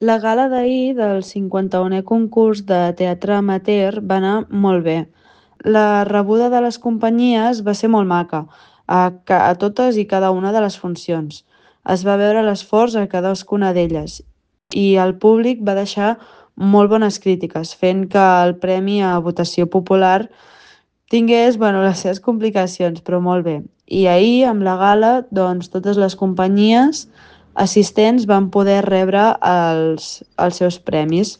La gala d'ahir del 51è concurs de teatre amateur va anar molt bé. La rebuda de les companyies va ser molt maca, a totes i cada una de les funcions. Es va veure l'esforç a cadascuna d'elles i el públic va deixar molt bones crítiques, fent que el premi a votació popular tingués, bueno, les seves complicacions, però molt bé. I ahir, amb la gala, doncs, totes les companyies assistents van poder rebre els seus premis.